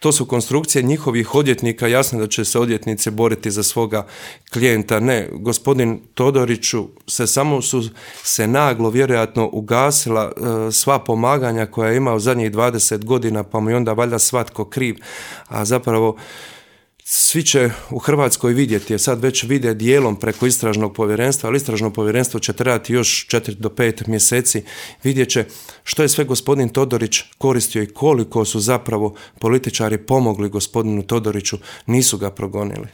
to su konstrukcije njihovih odvjetnika, jasno da će se odvjetnici boriti za svoga klijenta. Ne, gospodin Todoriću su se naglo vjerojatno ugasila sva pomaganja koja je imao zadnjih 20 godina, pa mu je onda valjda svatko kriv, a zapravo svi će u Hrvatskoj vidjeti, jer sad već vide dijelom preko istražnog povjerenstva, ali istražno povjerenstvo će trajati još 4 do 5 mjeseci, vidjet će što je sve gospodin Todorić koristio i koliko su zapravo političari pomogli gospodinu Todoriću, nisu ga progonili.